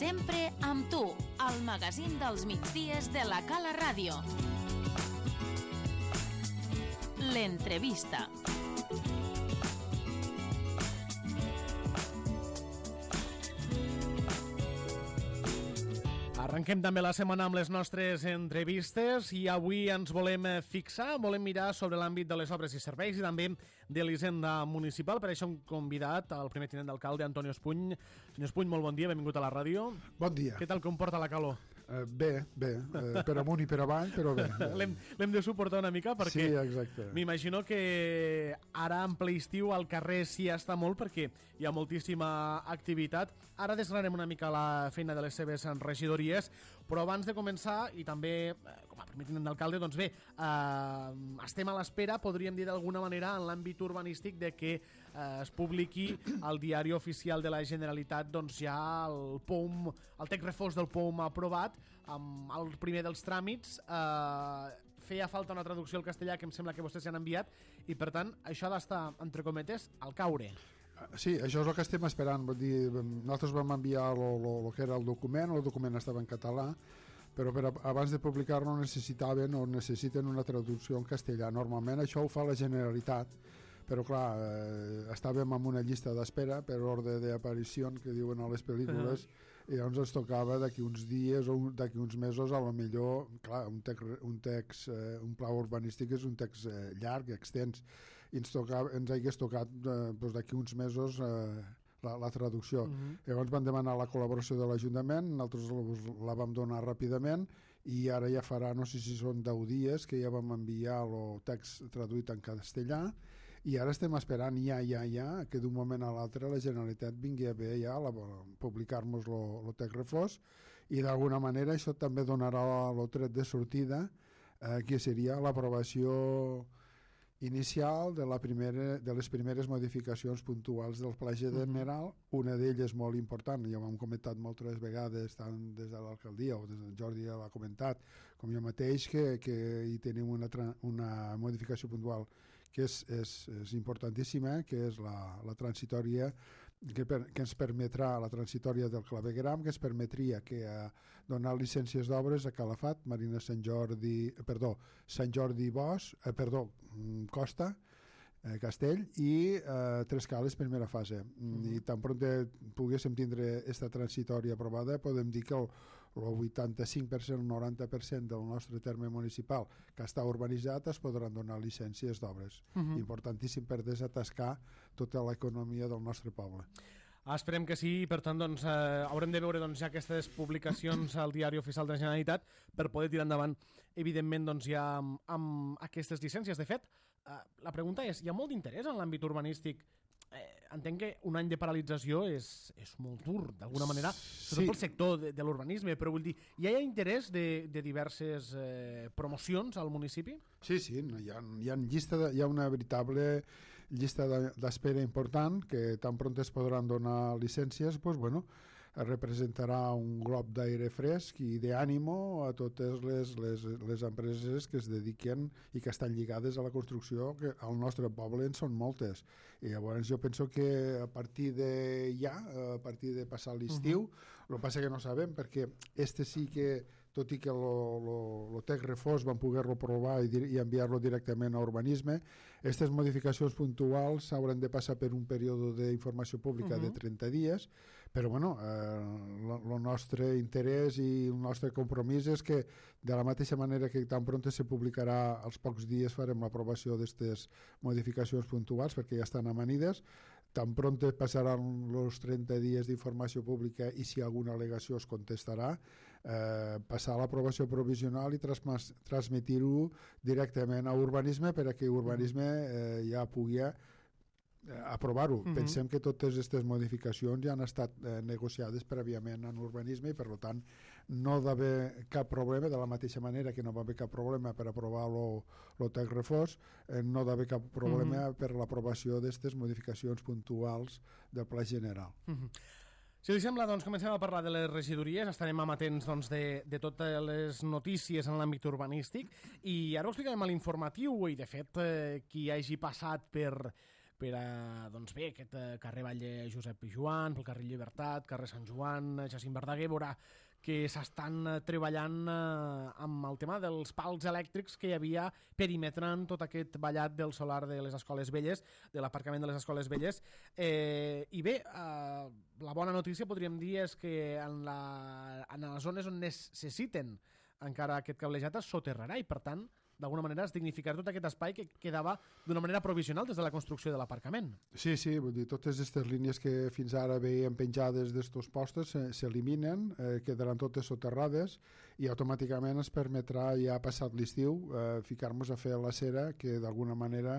Sempre amb tu, al magazín dels migdies de la Cala Ràdio. L'entrevista. Arrenquem també la setmana amb les nostres entrevistes i avui ens volem fixar, volem mirar sobre l'àmbit de les obres i serveis i també de l'Hisenda Municipal. Per això hem convidat al primer tinent d'alcalde, Antonio Espuny. Senyor Espuny, molt bon dia, benvingut a la ràdio. Bon dia. Què tal comporta la calor? Bé, per amunt i per avall, però bé. L'hem de suportar una mica perquè sí, exacte. M'imagino que ara en ple estiu al carrer s'hi està molt perquè hi ha moltíssima activitat. Ara desgranem una mica la feina de les seves regidories, però abans de començar, i també com a primer tinent d'alcalde, doncs bé, estem a l'espera, podríem dir d'alguna manera, en l'àmbit urbanístic de que es publiqui al diari oficial de la Generalitat doncs ja el POUM, el text refós del POUM aprovat, amb el primer dels tràmits. Feia falta una traducció al castellà que em sembla que vostès ja han enviat i per tant això ha d'estar, entre cometes, al caure. Sí, això és el que estem esperant. Vull dir, nosaltres vam enviar el que era el document estava en català, però abans de publicar-lo necessiten una traducció en castellà. Normalment això ho fa la Generalitat, però clar, estàvem en una llista d'espera per ordre d'aparició que diuen a les pel·lícules i llavors ens tocava d'aquí uns dies o d'aquí uns mesos, a lo millor, clar, un pla urbanístic és un text llarg, extens, i ens hagués tocat d'aquí uns mesos la traducció. Llavors van demanar la col·laboració de l'Ajuntament, nosaltres la vam donar ràpidament i ara ja farà, no sé si són 10 dies que ja vam enviar el text traduït en castellà i ara estem esperant ja que d'un moment a l'altre la Generalitat vingui a bé ja publicar-nos el text refós i d'alguna manera això també donarà el tret de sortida que seria l'aprovació inicial de les primeres modificacions puntuals del Pla General. Una d'elles molt important, ja ho hem comentat moltes vegades tant des de l'alcaldia o des del Jordi ja l'ha comentat, com jo mateix, que hi tenim una modificació puntual que és importantíssima, que és la transitòria que ens permetrà, la transitòria del clavegueram, que ens permetria donar llicències d'obres a Calafat, Marina Sant Jordi Costa, Castell i Tres Cales primera fase. I tan pront poguéssim tindre aquesta transitòria aprovada, podem dir que el 85%, el 90% del nostre terme municipal que està urbanitzat es podran donar llicències d'obres. Importantíssim per desatascar tota l'economia del nostre poble. Esperem que sí, per tant doncs, haurem de veure ja aquestes publicacions al diari oficial de la Generalitat per poder tirar endavant, evidentment, doncs, ja amb aquestes llicències. De fet, la pregunta és, hi ha molt d'interès en l'àmbit urbanístic? Entenc que un any de paralització és molt dur, d'alguna manera, sobretot pel sector de l'urbanisme, però vull dir, hi ha interès de diverses promocions al municipi? Sí, hi ha una veritable llista d'espera important que tan pront es podran donar llicències, doncs, bueno, representarà un glob d'aire fresc i d'ànimo a totes les empreses que es dediquen i que estan lligades a la construcció, que al nostre poble en són moltes. I llavors jo penso que a partir de passar l'estiu, el que passa que no sabem, perquè sí que, tot i que el text refós van poder-lo provar i enviar-lo directament a urbanisme, aquestes modificacions puntuals s'hauran de passar per un període d'informació pública de 30 dies, però bueno, el nostre interès i el nostre compromís és que de la mateixa manera que tan pront se publicarà, als pocs dies farem l'aprovació d'aquestes modificacions puntuals perquè ja estan amanides, tan pront passaran els 30 dies d'informació pública i si alguna al·legació es contestarà, passar l'aprovació provisional i transmetir-ho directament a urbanisme perquè urbanisme ja pugui aprovar-ho. Pensem que totes aquestes modificacions ja han estat negociades prèviament en urbanisme i per tant no ha d'haver cap problema, de la mateixa manera que no va haver cap problema per aprovar el text refós, no ha d'haver cap problema per l'aprovació d'aquestes modificacions puntuals del Pla General. Si us sembla, doncs comencem a parlar de les regidories, estarem amatents doncs, de totes les notícies en l'àmbit urbanístic i ara ho explicarem a l'informatiu i de fet qui hagi passat per doncs bé, aquest carrer Valle Josep Pijuan, pel carrer Llibertat, carrer Sant Joan, Jacint Verdaguer, veurà que s'estan treballant amb el tema dels pals elèctrics que hi havia perimetrant tot aquest vallat del solar de les Escoles Velles, de l'aparcament de les Escoles Velles. I bé, la bona notícia podríem dir és que en les zones on necessiten encara aquest cablejat es soterrarà i, per tant, d'alguna manera es dignificarà tot aquest espai que quedava d'una manera provisional des de la construcció de l'aparcament. Sí, vull dir, totes aquestes línies que fins ara veiem penjades d'estos postes s'eliminen, quedaran totes soterrades i automàticament es permetrà, ja passat l'estiu, ficar-nos a fer la cera que d'alguna manera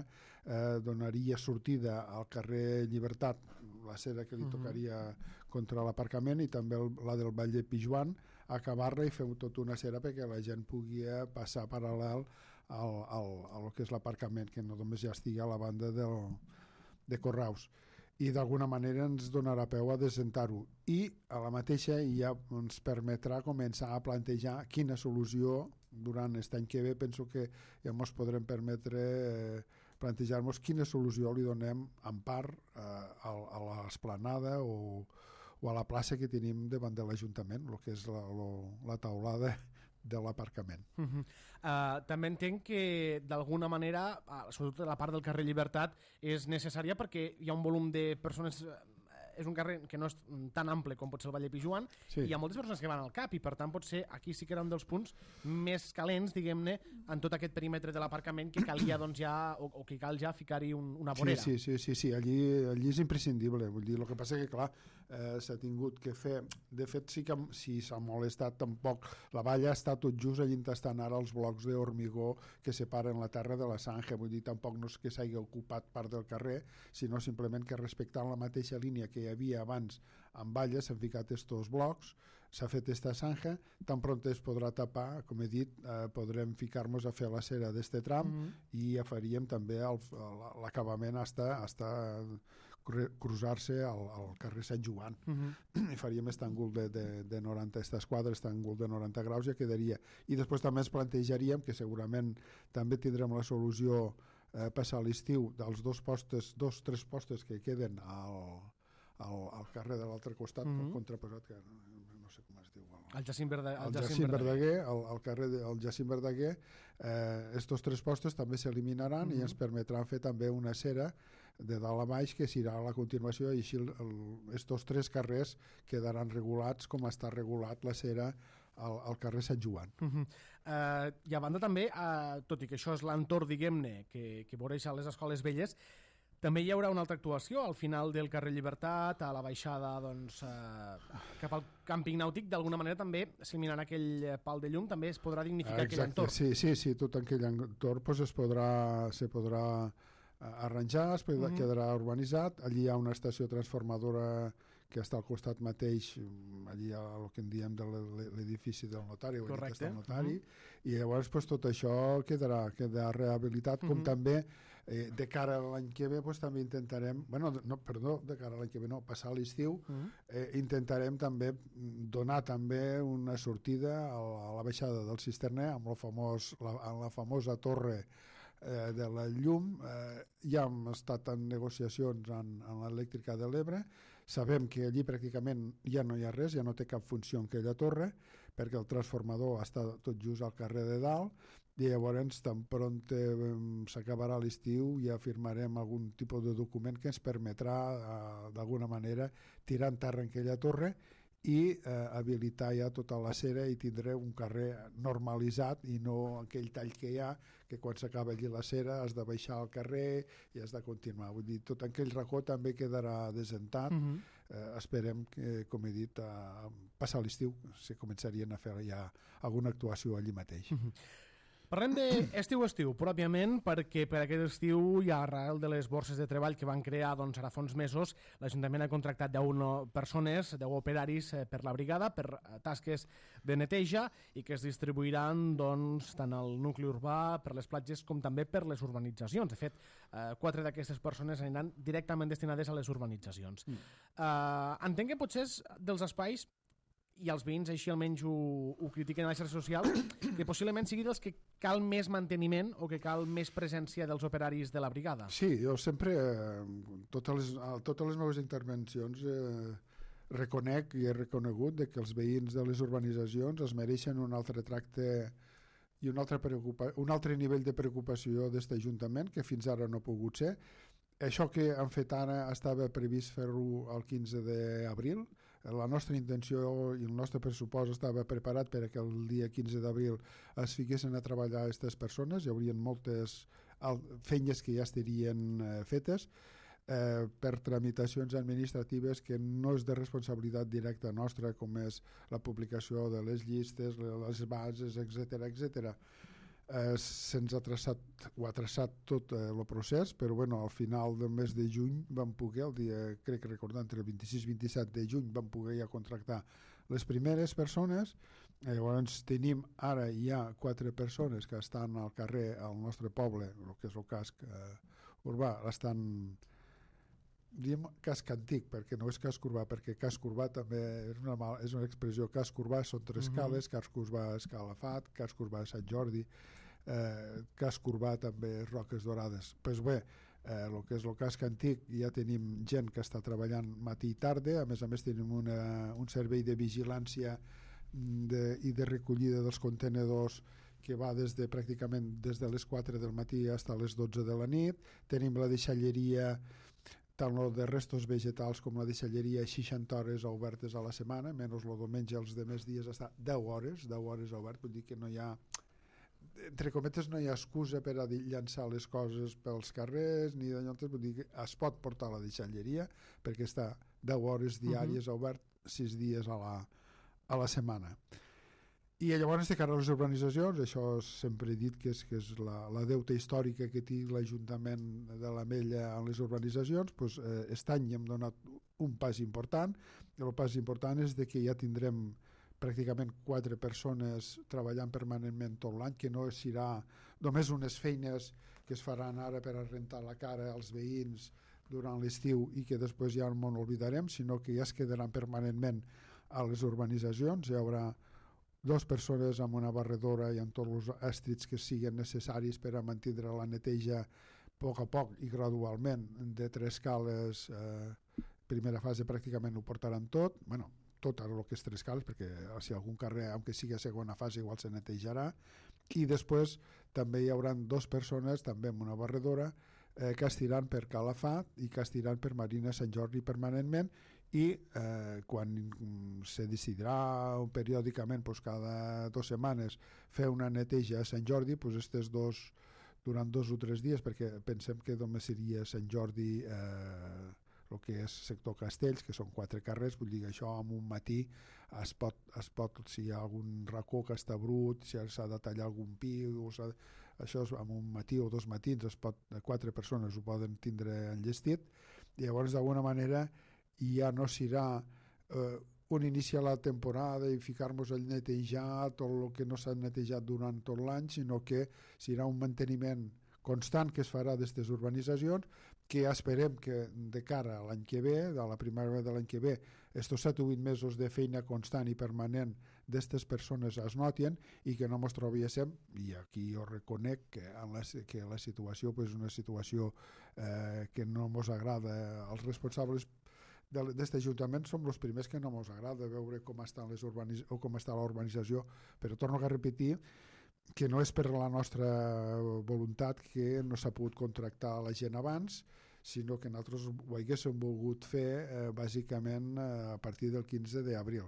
donaria sortida al carrer Llibertat, la cera que li tocaria contra l'aparcament, i també la del Valle Pijuan, acabar-la i fer tota una cera perquè la gent pugui passar paral·lel al que és l'aparcament, que no només ja estigui a la banda de Corraus. I d'alguna manera ens donarà peu a desentar-ho. I a la mateixa ja ens permetrà començar a plantejar quina solució durant aquest any que ve. Penso que ja ens podrem permetre plantejar-nos quina solució li donem en part a l'esplanada o a la plaça que tenim davant de l'Ajuntament, el que és la taulada de l'aparcament. També entenc que d'alguna manera, sobretot la part del carrer Llibertat, és necessària perquè hi ha un volum de persones. És un carrer que no és tan ample com pot ser el Valle Pijuan, i hi ha moltes persones que van al cap, i per tant potser aquí sí que era un dels punts més calents, diguem-ne, en tot aquest perímetre de l'aparcament que calia doncs ja, o que cal ja ficar-hi una vorera. Sí, allí és imprescindible. Vull dir, el que passa que, clar, s'ha tingut que fer. De fet, sí que si s'ha molestat tampoc. La valla està tot just allí on estan ara els blocs d'hormigó que separen la terra de la Sanja. Vull dir, tampoc no és que s'hagi ocupat part del carrer, sinó simplement que respectant la mateixa línia que hi havia abans amb valles s'han ficat estos blocs, s'ha fet esta Sanja, tan pront es podrà tapar, com he dit, podrem ficar-nos a fer la cera d'este tram i ja faríem també l'acabament hasta cruzar-se al carrer Sant Joan. I faríem aquest àngul de 90, aquest quadre, aquest àngul de 90 graus ja quedaria. I després també ens plantejaríem, que segurament també tindrem la solució passar l'estiu, dels tres postes que queden al carrer de l'altre costat, el contraposat, que no sé com es diu. El Jacint Verdaguer, el carrer del Jacint Verdaguer, estos tres postes també s'eliminaran i ens permetran fer també una cera de dalt a baix que serà a la continuació, i així estos tres carrers quedaran regulats com està regulat la cera al carrer Sant Joan. I a banda també, tot i que això és l'entorn, diguem-ne, que voreja les Escoles Velles, també hi haurà una altra actuació al final del carrer Llibertat, a la baixada cap al càmping nàutic. D'alguna manera també s'eliminarà aquell pal de llum, també es podrà dignificar aquell entorn. Sí, tot aquell entorn se podrà arranjar, es quedarà urbanitzat. Allí hi ha una estació transformadora que està al costat mateix, allí el que en diem de l'edifici del notari, correcte, el notari, i llavors tot això quedarà rehabilitat, com també de cara a l'any que ve també intentarem, de cara a l'any que ve passar l'estiu, intentarem també donar també una sortida a la baixada del Cisterner amb la famosa torre de la llum. Ja hem estat en negociacions en l'elèctrica de l'Ebre. Sabem que allí pràcticament ja no hi ha res, ja no té cap funció en aquella torre, perquè el transformador està tot just al carrer de dalt, i llavors tan pront s'acabarà l'estiu ja firmarem algun tipus de document que ens permetrà d'alguna manera tirar en terra en aquella torre i habilitar ja tota la cera i tindré un carrer normalitzat i no aquell tall que hi ha, que quan s'acaba allí la cera has de baixar al carrer i has de continuar. Vull dir, tot aquell racó també quedarà desentat. Esperem que, com he dit, passar l'estiu se començarien a fer ja alguna actuació allí mateix. Parlem d'estiu, pròpiament, perquè per aquest estiu i arrel de les borses de treball que van crear ara fa uns mesos, l'Ajuntament ha contractat 10 persones, 10 operaris per la brigada, per tasques de neteja, i que es distribuiran tant al nucli urbà, per les platges, com també per les urbanitzacions. De fet, 4 d'aquestes persones aniran directament destinades a les urbanitzacions. Entenc que potser dels espais i els veïns així almenys ho critiquen a les xarxes socials, que possiblement sigui dels que cal més manteniment o que cal més presència dels operaris de la brigada. Sí, jo sempre, totes les meves intervencions, reconec i he reconegut que els veïns de les urbanitzacions es mereixen un altre tracte i un altre nivell de preocupació d'aquest Ajuntament, que fins ara no ha pogut ser. Això que han fet ara estava previst fer-ho el 15 d'abril. La nostra intenció i el nostre pressupost estava preparat per que el dia 15 d'abril es fiquessin a treballar aquestes persones. Hi haurien moltes feines que ja estarien fetes per tramitacions administratives que no és de responsabilitat directa nostra, com és la publicació de les llistes, les bases, etc. Se'ns ha traçat tot el procés, però bueno, al final del mes de juny vam poder, el dia, crec que recordant, el 26-27 de juny vam poder ja contractar les primeres persones. Llavors tenim ara ja 4 persones que estan al carrer al nostre poble, el que és el casc urbà, estan, diem casc antic, perquè no és casc urbà, perquè casc urbà també és una expressió. Casc urbà són 3 cales, casc urbà és Calafat, casc urbà és Sant Jordi, casc urbà també Roques Dorades. Pues bé, el que és el casc antic ja tenim gent que està treballant matí i tarda, a més tenim un servei de vigilància i de recollida dels contenedors que va pràcticament des de les 4 del matí fins a les 12 de la nit. Tenim la deixalleria, tant de restos vegetals com la deixalleria, 60 hores obertes a la setmana, menys el diumenge, els demés dies està 10 hores obert, vull dir que no hi ha, entre cometes, no hi ha excusa per a llançar les coses pels carrers, ni d'allò, vull dir que es pot portar a la deixalleria perquè està 10 hores diàries obert 6 dies a la setmana. I llavors, de cara a les urbanitzacions, això sempre he dit que és la deuta històrica que té l'Ajuntament de l'Ametlla en les urbanitzacions. Aquest any hem donat un pas important. El pas important és que ja tindrem pràcticament 4 persones treballant permanentment tot l'any, que no serà només unes feines que es faran ara per a rentar la cara als veïns durant l'estiu i que després ja no n'oblidarem, sinó que ja es quedaran permanentment a les urbanitzacions. Hi haurà 2 persones amb una barredora i amb tots els estrits que siguin necessaris per a mantenir la neteja a poc i gradualment de 3 cales. Primera fase pràcticament ho portaran tot, tot el que és 3 cales, perquè si algun carrer, aunque sigui a segona fase, igual se netejarà. I després també hi haurà 2 persones, també amb una barredora, que estiran per Calafat i que estiran per Marina Sant Jordi permanentment, i quan se decidirà periòdicament, cada 2 setmanes, fer una neteja a Sant Jordi, aquests 2 durant 2 o 3 dies, perquè pensem que només seria Sant Jordi el que és sector Castells, que són 4 carrers, vull dir que això en un matí es pot, si hi ha algun racó que està brut, si s'ha de tallar algun pi, això en un matí o 2 matins 4 persones ho poden tindre enllestit. I llavors d'alguna manera ja no serà un iniciar la temporada i ficar-nos a netejar tot el que no s'ha netejat durant tot l'any, sinó que serà un manteniment constant que es farà d'aquestes urbanitzacions, que esperem que de cara a l'any que ve, de la primavera de l'any que ve, estos 7 o 8 mesos de feina constant i permanent d'aquestes persones es notin i que no ens trobéssim, i aquí jo reconec que la situació és una situació que no ens agrada. Els responsables d'aquest Ajuntament som els primers que no ens agrada veure com està la urbanització, però torno a repetir que no és per la nostra voluntat que no s'ha pogut contractar la gent abans, sinó que nosaltres ho haguéssim volgut fer bàsicament a partir del 15 d'abril.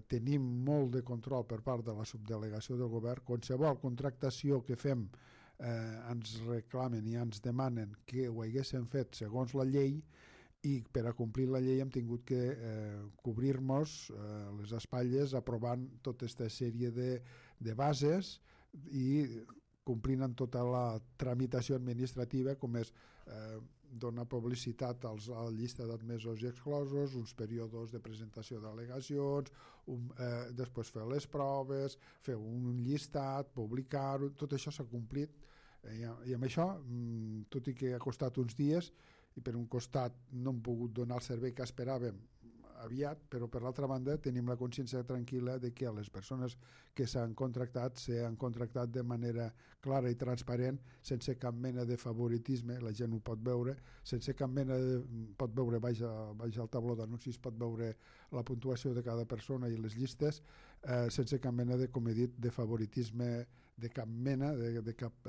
Tenim molt de control per part de la subdelegació del govern. Qualsevol contractació que fem ens reclamen i ens demanen que ho haguéssim fet segons la llei, i per a complir la llei hem tingut que cobrir-nos les espatlles aprovant tota aquesta sèrie de bases i complint amb tota la tramitació administrativa, com és donar publicitat a la llista d'admesos i exclosos, uns períodes de presentació d'al·legacions, després fer les proves, fer un llistat, publicar-ho, tot això s'ha complit. I amb això, tot i que ha costat uns dies, i per un costat no hem pogut donar el servei que esperàvem aviat, però per l'altra banda tenim la consciència tranquil·la de que les persones que s'han contractat de manera clara i transparent, sense cap mena de favoritisme, la gent ho pot veure, sense cap mena pot veure baix al tabló d'anuncis, pot veure la puntuació de cada persona i les llistes, sense cap mena de, com he dit, de favoritisme de cap mena, de cap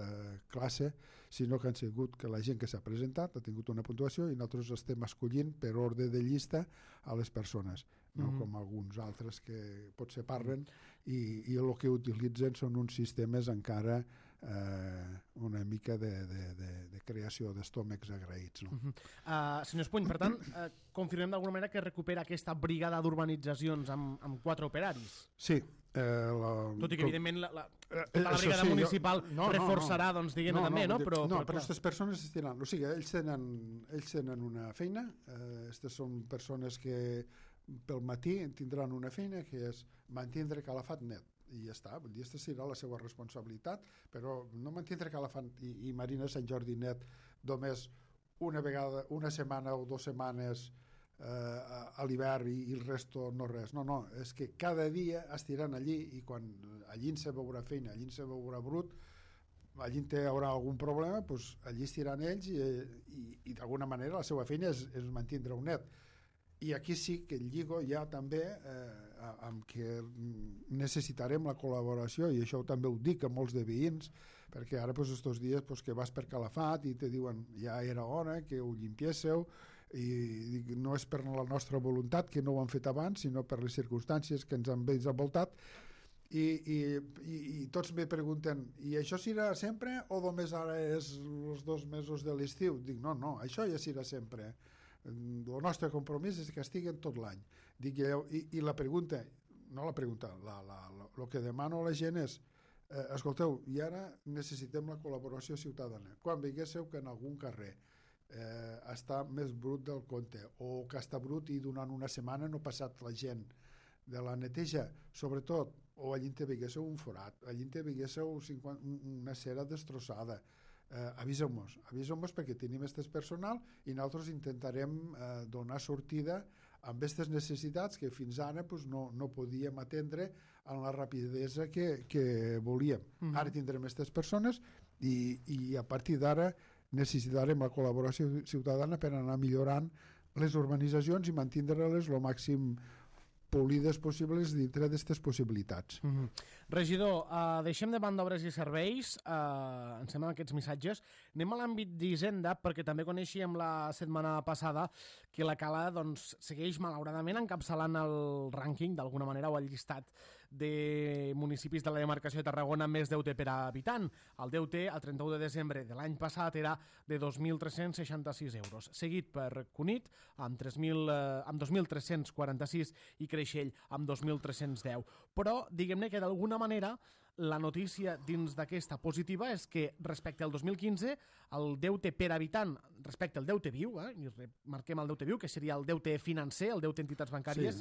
classe, sinó que han sigut que la gent que s'ha presentat ha tingut una puntuació i nosaltres estem escollint per ordre de llista a les persones, no com alguns altres que potser parlen i el que utilitzen són uns sistemes encara una mica de creació d'estómacs agraïts. No? Senyor Espuny, per tant, confirmem d'alguna manera que recupera aquesta brigada d'urbanitzacions amb 4 operaris? Sí. Tot i que, evidentment, la brigada municipal reforçarà, doncs, diguem-ne, també, no? Però aquestes persones estiran... O sigui, ells tenen una feina, aquestes són persones que pel matí tindran una feina que és mantindre Calafat net, i ja està, vull dir, aquesta serà la seva responsabilitat, però no mantindre Calafat i Marina Sant Jordi net només una vegada, una setmana o 2 setmanes a l'hivern i el resto no res. No, és que cada dia estiran allí i quan allí se veurà feina, allí se veurà brut, allí hi haurà algun problema, doncs allí estiran ells i d'alguna manera la seva feina és mantindre un net. I aquí sí que el lligo ja també amb què necessitarem la col·laboració, i això també ho dic a molts de veïns, perquè ara estos dies que vas per Calafat i te diuen ja era hora que ho llimpiéssiu, i no és per la nostra voluntat que no ho han fet abans, sinó per les circumstàncies que ens han envoltat, i tots me pregunten, i això serà sempre o només ara és els 2 mesos de l'estiu? Dic, no, això ja serà sempre. El nostre compromís és que estiguen tot l'any. I la pregunta, el que demano a la gent és escolteu, i ara necessitem la col·laboració ciutadana. Quan veiéssiu que en algun carrer està més brut del compte o que està brut i durant una setmana no ha passat la gent de la neteja, sobretot, o allí te veiéssiu un forat, allí te veiéssiu una cera destrossada, aviseu-nos perquè tenim aquest personal i nosaltres intentarem donar sortida amb aquestes necessitats que fins ara no podíem atendre amb la rapidesa que volíem. Ara tindrem aquestes persones i a partir d'ara necessitarem la col·laboració ciutadana per anar millorant les urbanitzacions i mantindre-les el màxim polides possibles dintre d'aquestes possibilitats. Regidor, deixem de banda obres i serveis, em semblen aquests missatges. Anem a l'àmbit d'Hisenda, perquè també coneixíem la setmana passada que la Cala segueix malauradament encapçalant el rànquing, d'alguna manera, o el llistat de municipis de la demarcació de Tarragona amb més deute per habitant. El deute, al 31 de desembre de l'any passat, era de 2.366 euros, seguit per Cunit, amb 2.346, i Creixell, amb 2.310. Però, diguem-ne que d'alguna manera la notícia dins d'aquesta positiva és que respecte al 2015 el deute per habitant respecte al deute viu, i marquem el deute viu, que seria el deute financer, el deute entitats bancàries,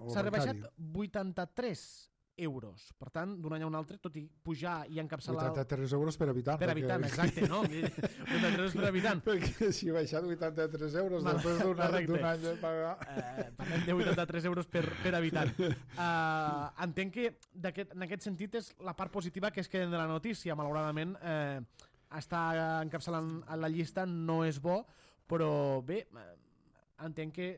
s'ha rebaixat 83 euros. Per tant, d'un any a un altre, tot i pujar i encapçalar... 83 euros per habitant. Per habitant, exacte, no? 83 euros per habitant. Perquè si ha baixat 83 euros després d'un any de pagar... Parlem de 83 euros per habitant. Entenc que en aquest sentit és la part positiva que es queden de la notícia. Malauradament, estar encapçalant a la llista no és bo, però bé, entenc que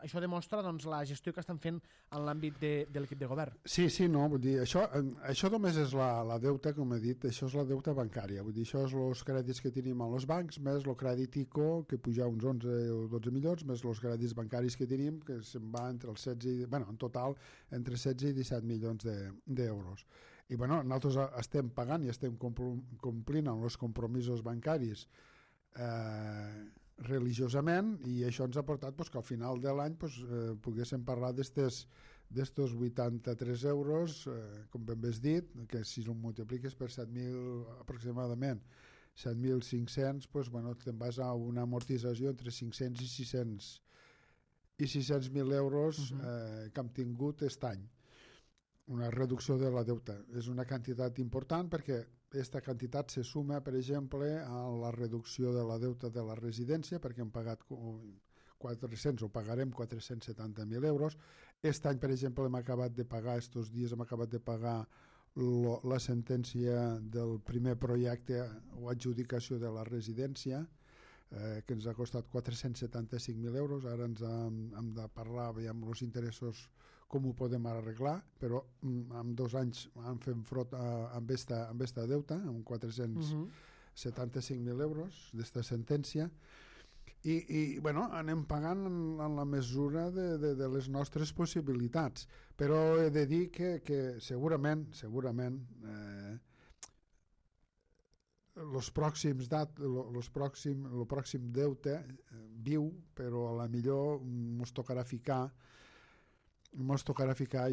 això demostra la gestió que estan fent en l'àmbit de l'equip de govern. Sí, no, vull dir, això només és la deuta, com he dit, això és la deuta bancària, vull dir, això és els crèdits que tenim als bancs, més el crèdit ICO, que puja uns 11 o 12 milions, més els crèdits bancaris que tenim, que se'n va entre els 16, en total, entre 16 i 17 milions d'euros. I nosaltres estem pagant i estem complint amb els compromisos bancaris religiosament, i això ens ha portat que al final de l'any poguéssim parlar d'estos 83 euros, com ben bé has dit, que si ho multipliques per 7.000 aproximadament, 7.500, te'n vas a una amortització entre 500 i 600.000 euros que hem tingut aquest any. Una reducció de la deuta. És una quantitat important perquè aquesta quantitat se suma, per exemple, a la reducció de la deuta de la residència, perquè hem pagat 400 o pagarem 470.000 euros. Aquest any, per exemple, hem acabat de pagar, estos dies hem acabat de pagar la sentència del primer projecte o adjudicació de la residència, que ens ha costat 475.000 euros. Ara ens hem de parlar amb els interessos com ho podem arreglar, però en 2 anys hem fet front amb esta deuta, amb 475.000 euros d'esta sentència, i bueno, anem pagant en la mesura de les nostres possibilitats, però he de dir que segurament el pròxim deute viu, però a la millor ens tocarà ficar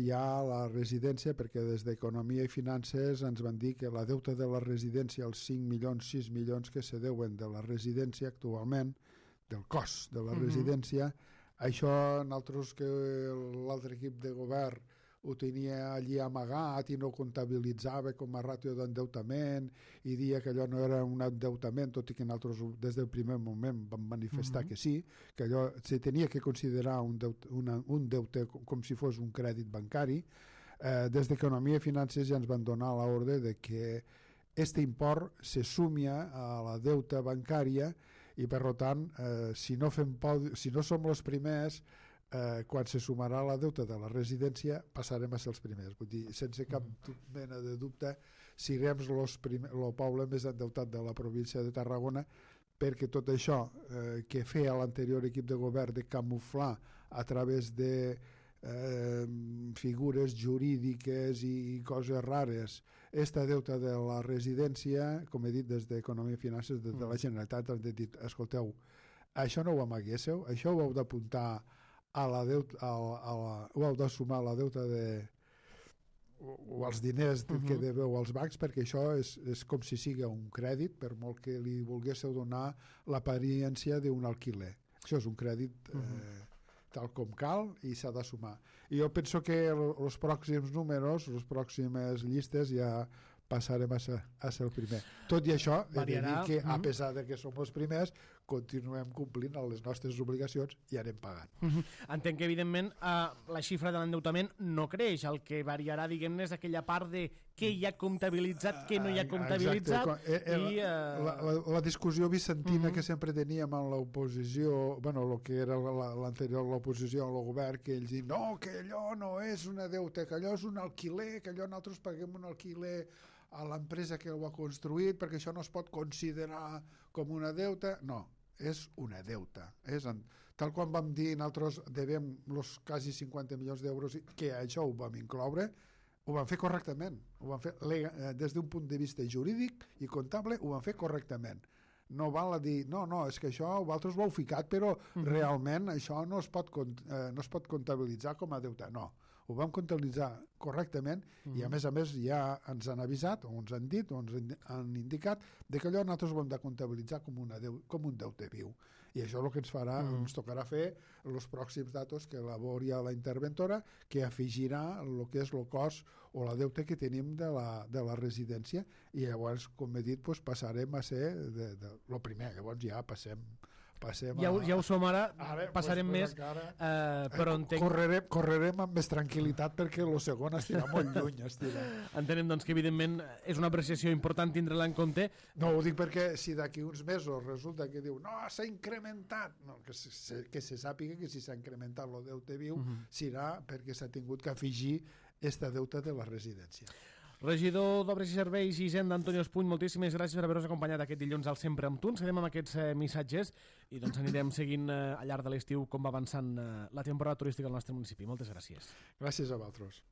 ja a la residència, perquè des d'Economia i Finances ens van dir que la deuta de la residència, els 5 milions, 6 milions que se deuen de la residència actualment, del cost de la residència, això nosaltres, que l'altre equip de govern ho tenia allí amagat i no comptabilitzava com a ràtio d'endeutament i dia que allò no era un endeutament, tot i que nosaltres des del primer moment vam manifestar que sí, que allò se tenia que considerar un deute com si fos un crèdit bancari. Des d'Economia i Finances ja ens van donar l'ordre de que aquest import se sumia a la deuta bancària i per tant, si no som els primers, quan se sumarà la deuta de la residència passarem a ser els primers. Vull dir, sense cap mena de dubte, serem el poble més endeutat de la província de Tarragona, perquè tot això que feia l'anterior equip de govern de camuflar a través de figures jurídiques i coses rares esta deuta de la residència, com he dit, des d'Economia i Finances, des de la Generalitat, han dit, escolteu, això no ho amaguéssiu, això ho heu d'apuntar a la deuta, ho heu de sumar a la deuta o als diners que deveu als bancs, perquè això és com si sigui un crèdit, per molt que li volguéssiu donar l'apariència d'un alquiler. Això és un crèdit tal com cal i s'ha de sumar. I jo penso que els pròxims números, les pròximes llistes ja passarem a ser el primer. Tot i això, he de dir que a pesar de que som els primers, continuem complint les nostres obligacions i anem pagant. Entenc que, evidentment, la xifra de l'endeutament no creix. El que variarà, diguem-ne, és aquella part de què hi ha comptabilitzat, què no hi ha comptabilitzat. La discussió vicentina que sempre teníem en l'oposició, bueno, el que era l'anterior, l'oposició al govern, que ells diuen, no, que allò no és una deuta, que allò és un alquiler, que allò nosaltres paguem un alquiler a l'empresa que ho ha construït perquè això no es pot considerar com una deuta. No, és una deuta. Tal quan vam dir nosaltres devem els quasi 50 milions d'euros, que això ho vam incloure, ho van fer correctament. Ho van fer des d'un punt de vista jurídic i comptable, ho van fer correctament. No val a dir, no, és que això vosaltres ho heu ficat, però realment això no es pot comptabilitzar com a deuta. No, ho vam comptabilitzar correctament i a més ja ens han avisat, o ens han dit, o ens han indicat de que allò nosaltres ho hem de comptabilitzar com un deute viu. I això és el que ens tocarà fer els pròxims datos que elabori la interventora, que afegirà el que és el cost o la deuta que tenim de la residència, i llavors, com he dit, passarem a ser el primer. Llavors ja passem ja ho som ara, passarem més, però entenc... Correrem amb més tranquil·litat perquè el segon estirà molt lluny. Entenem, doncs, que evidentment és una apreciació important tindre-la en compte. No, ho dic perquè si d'aquí uns mesos resulta que diu, no, s'ha incrementat, no, que se sàpiga que si s'ha incrementat el deute viu serà perquè s'ha tingut que afegir esta deuta de la residència. Regidor d'Obres i Serveis i Hisenda, Antonio Espuny, moltíssimes gràcies per haver-nos acompanyat aquest dilluns al Sempre amb Tu. Ens quedem amb aquests missatges i doncs anirem seguint al llarg de l'estiu com va avançant la temporada turística al nostre municipi. Moltes gràcies. Gràcies a vosaltres.